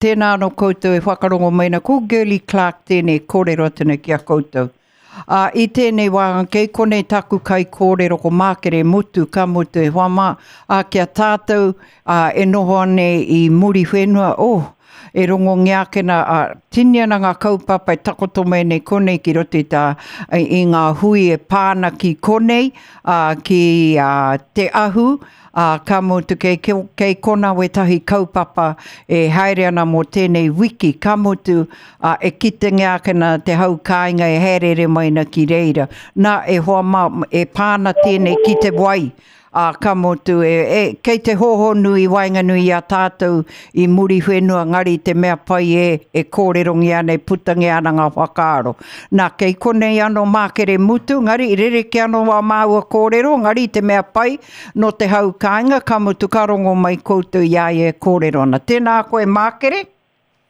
Tēnā anō koutou e whakarongo mai ana, ko Girlie Clarke tēnei kōrero atu nei ki a koutou. Ā, i tēnei wā, kei konei taku kaikōrero ko Mākere Mutu, ka mutu e hoa mā, ā, ki a tātou, ā, e noho ana i Muriwhenua, oh, e rongongia ake nā, ā, tini ana ngā kaupapa e takoto mai nei konei ki roto i tā, i ngā hui e pā ana ki konei, ā, ki, ā, Te Ahu, ā, ka mutu kei, kei konā wētahi kaupapa e haere ana mō tēnei wiki, ka mutu, ā, e kitengia ake nā te hau kāinga e hāereere mai ana ki reira. Nā, e hoa mā, e pā ana tēnei ki te wai, ā, ka mutu, e, e, kei te hōhonu i waenganui i a tātou i Muriwhenua, ngari te mea pai e, e kōrerongia ana, e putangia ana ngā whakaaro. Nā, kei konei anō Mākere Mutu, ngari rerekē anō wā māua kōrero, ngari te mea pai, Nō te hau kāinga, ka mutu ka rongo mai koutou i a ia e kōrero ana. Tēnā koe Mākere.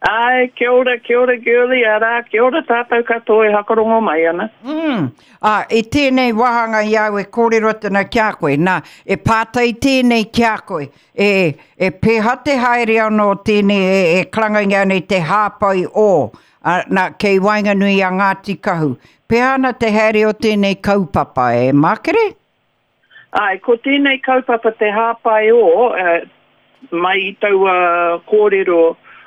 Āe, kia ora, kia ora Girlie, arā, kia ora tātou katoa e hakarongo mai ana. Mm, ā, i tēnei wāhanga i a au e kōrero atu ana ki a koe, nā, e pātai tēnei ki a koe, e, e pēhea te haere anō tēnei e, e karangaingia nei te hāpai ō, ā, nā, kei waenganui i a Ngāti Kahu. Pēhea ana te haere o tēnei kaupapa, e Mākere? Āe, ko tēnei kaupapa te hāpai ō, mai i taua kōrero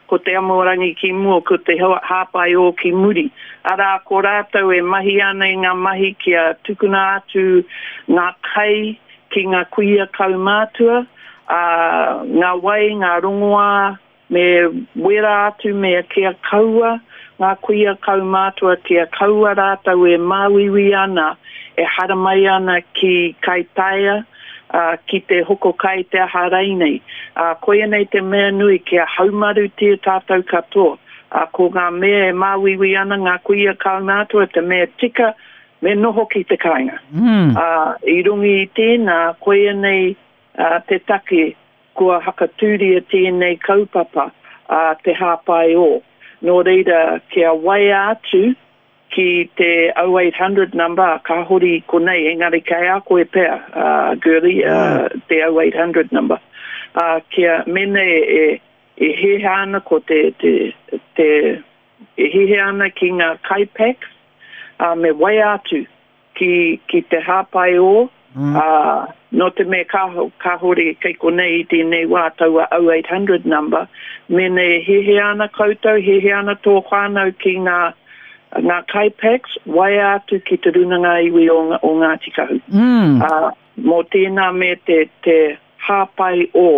ko te amorangi ki mua, ko te hāpai ō ki muri. Arā, ko rātou e mahi ana i ngā mahi kia tukuna atu ngā kai ki ngā kuia kaumātua, ā, ngā wai, ngā rongoā, Me wera atu me kia kaua ngā kuia kaumātua kia kaua rātou e māuiui ana, e haramai ana ki Kaitaia, ā, ki te hoko kai te aha rainei. Ā, koia nei te mea nui kia haumarutia tātou katoa. Ā, ko ngā mea e māuiui ana ngā kuia kaumātua te mea tika me noho ki te kāinga. Ā, i runga i tēnā, koia nei te take Kua hakatūria tēnei kaupapa a Te Hāpai Ō. Nō reira, kia waea atu ki te 0800 number, kāhore i konei, engari kei a koe pea, Girlie, te 0800 number. Kia, mēnā e hēhea ana ko te, te, te, e hēhea ana ki ngā kai packs, me waea atu ki, ki te hāpai ō, mm. ā, nō te mea kāhore kei konei i tēnei wā taua 0800 number, mēnā e hehea ana koutou, hehea ana tō whānau ki ngā, ngā kai packs, waea atu ki te Rūnanga Iwi o, o Ngāti Kahu. Mm. Ā, mō tēnā me te, te hāpai ō.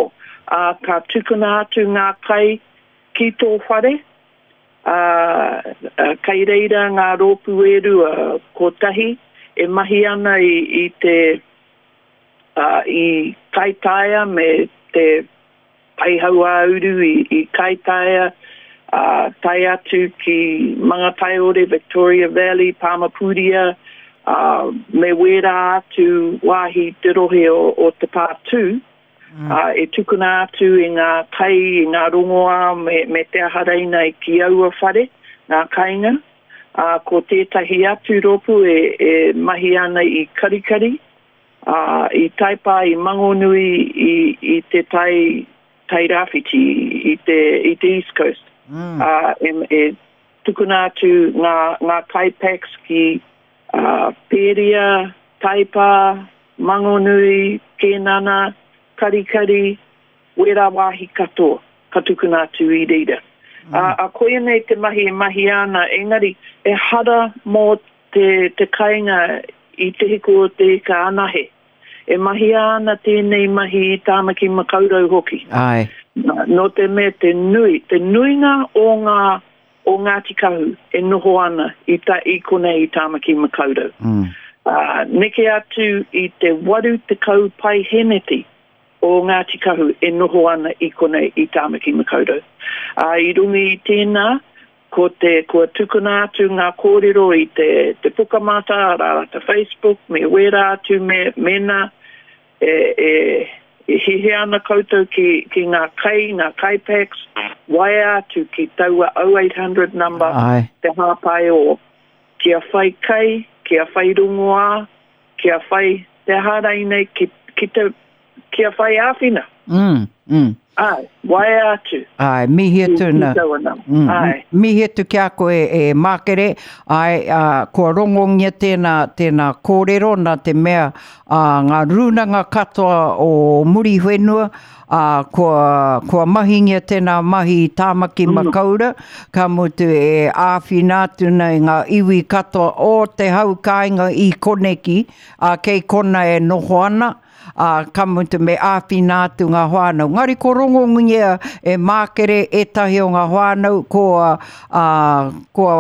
Ā, ka tukuna atu ngā kai ki tō whare, Ā, kei reira ngā rōpū e rua, kotahi e mahi ana i, i te, ā, i Kaitaia me te Paihauāuru i, i Kaitaia, ā, tae atu ki Mangataiore, Victoria Valley, Pāmapūria, ā, me wērā atu wāhi te rohe o, o Te Pātū. Mm. Ā, e tukuna atu i ngā kai, i ngā rongoā me, me te aha reinai ki aua whare, ngā kainga. Ā, ko tētahi atu rōpū e, e mahi ana i Karikari, ā, i Taipā, i Mangonui, i, i te tai, tai rāwhiti, i te, i te East Coast. Mm. Ā, e, e tukuna atu ngā, ngā kai packs ki ā, Pēria, Taipā, Mangonui, Kēnana, Karikari, wērā wāhi katoa ka tukuna atu i reira. Ā, ā, koia nei te mahi e mahia ana, engari ehara mō te, te kainga i Te Hiku o Te Ika anahe. E mahia ana tēnei mahi i Tāmaki Makaurau hoki. Āe. Nō te mea te nui, te nuinga o ngā o Ngāti Kahu e noho ana i ta, i konei i Tāmaki Makaurau. Mm. Ā, neke atu i te 80 paeheneti o Ngāti Kahu e noho ana i konei i Tāmaki Makaurau. Ā, i runga i tēnā, ko te, kua tukuna atu ngā kōrero i te, te Pukamata, arā, te Facebook, me wērā atu me, mēnā E, e, e hihia ana koutou ki, ki ngā kai, ngā kai packs, waea atu ki taua 0800 number, Aye. te hāpai o. Kia whai kai, kia whai rongoā, kia whai te aha rainei, ki, ki te, kia whai āwhina. Mm, mm. Āe, waea atu. Āe, mihi atu na. Ki taua nama. Mm, Āe. Mihi atu ki a koe e Mākere. Āe, ā, kua rongongia tēnā, tēnā kōrero nā te mea ā, ngā rūnanga katoa o Muriwhenua, ā, kua, kua mahingia tēnā mahi i Tāmaki mm. Makaura, ka mutu e āwhina atu nei ngā iwi katoa o te hau kāinga i koneki, ā, kei kona e noho ana, ā, ka mutu me āwhina atu ngā whānau. Engari ko rongongia e Mākere ētahi o ngā whānau kua, ā, kua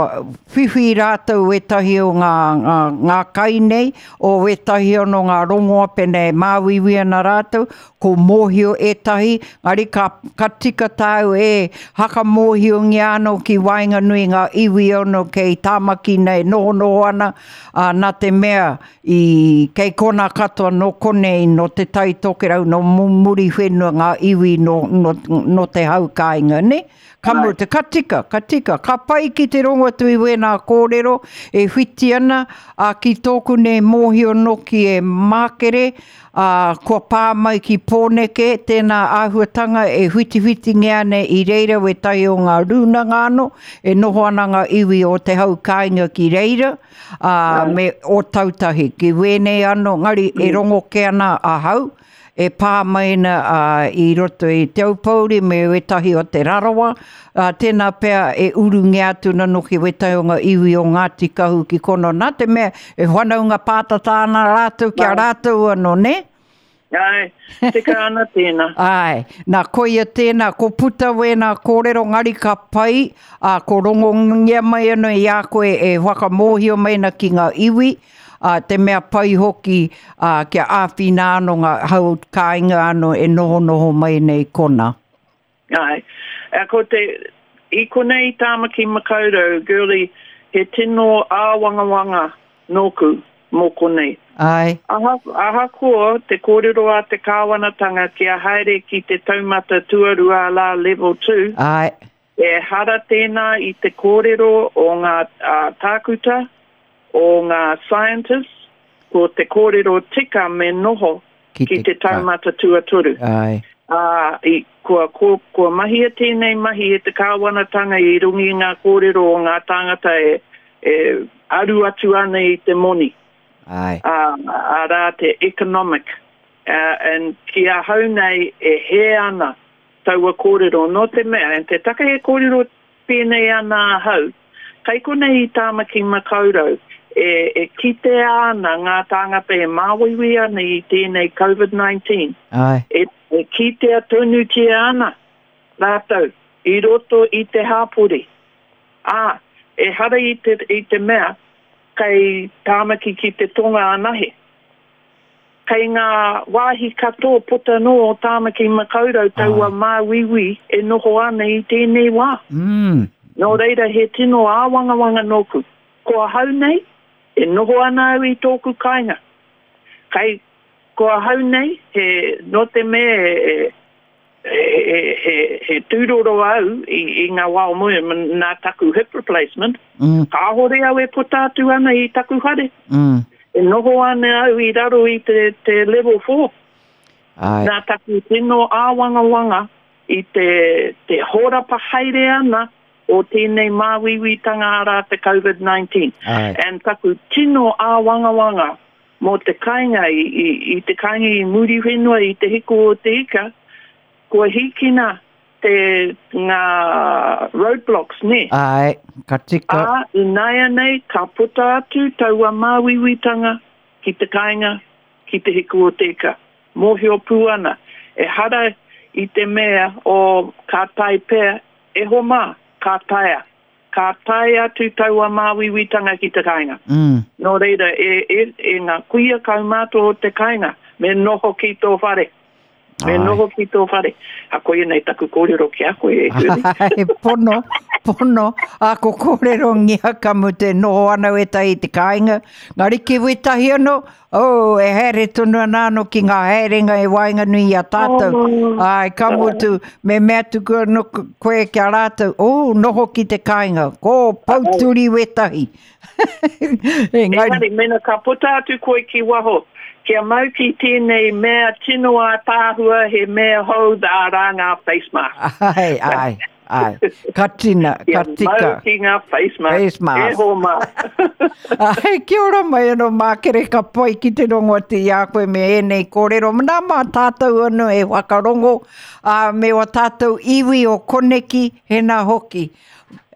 whiwhi rātou ētahi o ngā, ngā, ngā kai nei, o ētahi anō ngā rongoa pēnei e māuiui ana rātou, ko mōhio ētahi, engari ka, ka tika tāu e hakamōhiongia anō ki waenganui ngā iwi anō kei Tāmaki nei nohonoho ana, ā, nā te mea I kei konā katoa nō konei, nō Te Tai Tokerau, nō Muriwhenua ngā iwi nō, nō, nō te hau kāinga, nē? Ka mutu, ka tika, ka tika, ka pai ki te rongo atu i wēnā kōrero e whiti ana, ā, ki tōku nei mōhio nōki e Mākere, ā, kua pā mai ki Pōneke tēnā āhuatanga e whitiwhitingia ana i reira wētahi o ngā rūnanga anō, e noho ana ngā iwi o te hau kāinga ki reira, ā, me Ōtautahi, ki wēnei anō, ngari e rongo kē ana ahau, e pā mai ana ā, i roto i Te Aupōuri me wētahi o Te Rarawa, ā, tēnā pea e urungia atu ana noki wētahi o ngā iwi o Ngāti Kahu ki konā, nā te mea e whanaunga pātata ana rātou ki a rātou anō, nē? Āe, tika ana tēnā. Āe, nā koia tēnā, ko puta wēnā kōrero ngari ka pai, ā, ko rongongia mai anō i a koe e whakamōhio mai ana ki ngā iwi, ā, te mea pai hoki, ā, kia āwhina anō ngā hau kāinga anō e nohonoho mai nei konā. Āe. Ko te, i konei i Tāmaki Makaurau, Girlie, he tino āwangawanga nōku mō konei. Āe. Aha, ahakoa te kōrero a te kāwanatanga kia haere ki te taumata tuarua arā level two, Āe. ehara tēnā i te kōrero o ngā tākuta, o ngā scientists, ko te kōrero tika me noho ki te taumata tuatoru. Āe. Ā, i, kua, kua, kua mahia tēnei mahi e te kāwanatanga i runga i ngā kōrero o ngā tāngata e, e aru atu ana i te moni. Āe. Ā, arā te economic. Uh, and ki ahau nei e hē ana taua kōrero, nō te mea, and te take e kōrero Pēnei ana ahau, kei konei i Tāmaki Makaurau, e, e kitea ana ngā tāngata e māuiui ana i tēnei Covid 19. Āe. E, e kitea tonutia ana rātou i roto i te hāpori. Ā, ehara i te, i te mea kei Tāmaki ki te Tonga anahe. Kei ngā wāhi katoa puta noa o Tāmaki Makaurau taua māuiui e noho ana i tēnei wā. Nō reira he tino āwangawanga nōku. Ko ahau nei, e noho ana au i tōku kāinga. Kei, ko ahau nei, he, nō te mea e, he tūroro au i ngā wā o mua nā taku hip replacement, kāhore au e puta atu ana i taku whare. E noho ana au i raro i te, te level 4. Ai. Nā taku tino āwangawanga i te, te hōrapa haere ana o tēnei māuiuitanga arā te COVID-19. And taku tino āwangawanga Mō te kāinga i, i, i te kāinga i Muriwhenua i Te Hiku o Te Ika, kua hīkina te, ngā roadblocks, nē? Āe, ka tika. Ā, ināianei ka puta atu taua māuiuitanga ki te kāinga, ki Te Hiku o Te Ika. Mōhio pū ana, ehara i te mea o ka tae pea, e hoa mā, ka taea. Ka tae atu taua māuiuitanga ki te kāinga. Nō reira, e, e, e ngā kuia kaumātua o te kāinga, me noho ki tō whare. Me noho ki tō whare. A koia nei taku kōrero ki a koe, e Julie. He pono, pono. A ko kōrerongia ka mutu e noho ana wētahi i te kāinga. Ngari ki wētahi anō, Oh, e haere tonu ana anō ki ngā haerenga e waenganui i a tātou. Oh. Ai, ka mutu, me mea atu koe anō koe ki a rātou, oh, noho ki te kāinga, ko pouturi wētahi. Engari, Engari, mena ka puta atu koe ki waho, Kia mau ki tēnei mea tino ātaahua, he mea hou, arā ngā face mask. Ai, ai, ai. Ka tina, ka tika. Kia mau ki ngā face mask. Face mask. E hoa mā. Ai, kia ora mai anō Mākere, ka pai ki te rongo atu i a koe me ēnei kōrero. Nā mā tātou anō e whakarongo, ā, me wā tātou iwi o koneki, hēnā hoki.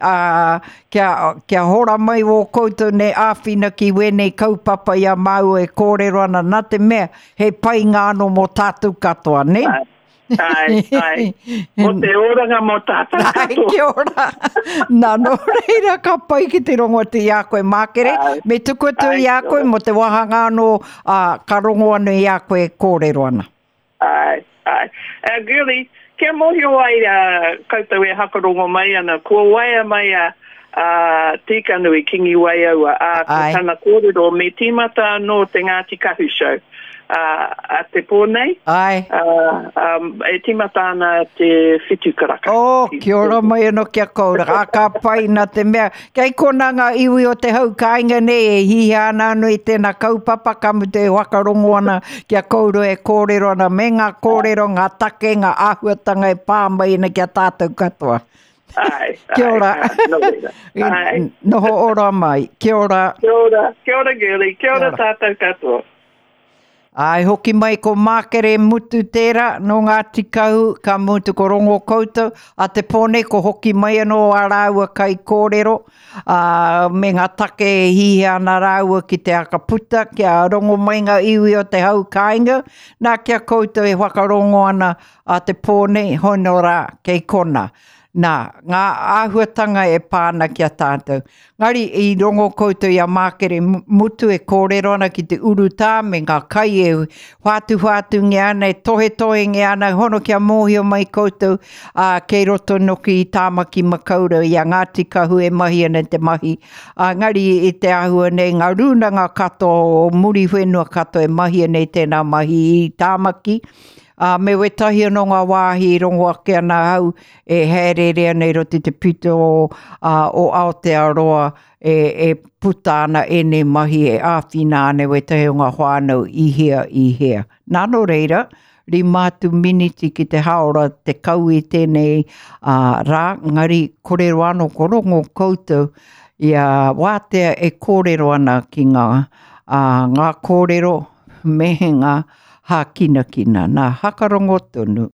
Ā, kia, kia hora mai wō koutou nei āwhina ki wēnei kaupapa i a māua e kōrero ana, nā te mea, he painga anō mō tātou katoa, nē? Āe, āe, āe. Mō te oranga mō tātou katoa. Āe, kia ora. Nā, nō reira, ka pai ki te rongo atu i a koe, Mākere. Me tuku atu i a koe mō te wāhanga anō, ā, ka rongo anō i a koe e kōrero ana. Āe, āe. Uh, Girlie, kia mōhio ai uh, koutou e hakarongo mai ana, kua waea mai a, a Tīkanui, Kingi Waiaua, ā, ko tana kōrero me tīmata anō te Ngāti Kahu Show ā, a te pō nei. Āe. Ā, um, e tīmata ana te whitu karaka. Oh, kia ora mai anō ki a koutou. Ā, ka pai nā te mea, Kei konā ngā iwi o te hau kāinga nei e hihia ana anō i tēnā kaupapa, ka mutu e whakarongo ana ki a koutou e kōrero ana me ngā kōrero, ngā take, ngā āhuatanga e pā mai ana ki a tātou katoa. Āe, Kia ora. āe, nō reira. Āe. Noho ora mai. Kia ora. Kia ora, kia ora Girlie, kia ora tātou katoa. Āe, hoki mai ko Mākere Mutu tērā, nō Ngāti Kahu, ka mutu ko Rongo koutou, a te pō nei ko hoki mai anō ā rāua kaikōrero, ā, me ngā take e hihia ana rāua ki te aka puta, kia rongo mai ngā iwi o te hau kāinga, nā ki a koutou e whakarongo ana a te pō nei, hono rā, kei kona. Nā, ngā āhuatanga e pā ana ki a tātou. Ngari, i rongo koutou i a Mākere Mutu e kōrero ana ki te urutā me ngā kai e whātuwhātungia ana, e tohetohengia ana, hono kia mōhio mai koutou, ā, kei roto noki i Tāmaki Makaurau i a Ngāti Kahu e mahi ana te mahi. Ā, ngari i te āhua nei ngā rūnanga katoa o Muriwhenua katoa e mahia nei tēnā mahi i Tāmaki, Ā, me wētahi anō ngā wāhi i rongo ake ana ahau e hāereere ana i roto i te pito o, ā, o Aotearoa e, e puta ana ēnei mahi e āwhina ana wētahi o ngā whānau i hea, i hea. Nā, nō reira, rima atu miniti ki te hāora 10 i tēnei ā, rā, engari kore roa anō ko rongo koutou i a Wātea e kōrero ana ki ngā, ā, ngā kōrero me ngā hākinakina. Nā, hakarongo tonu.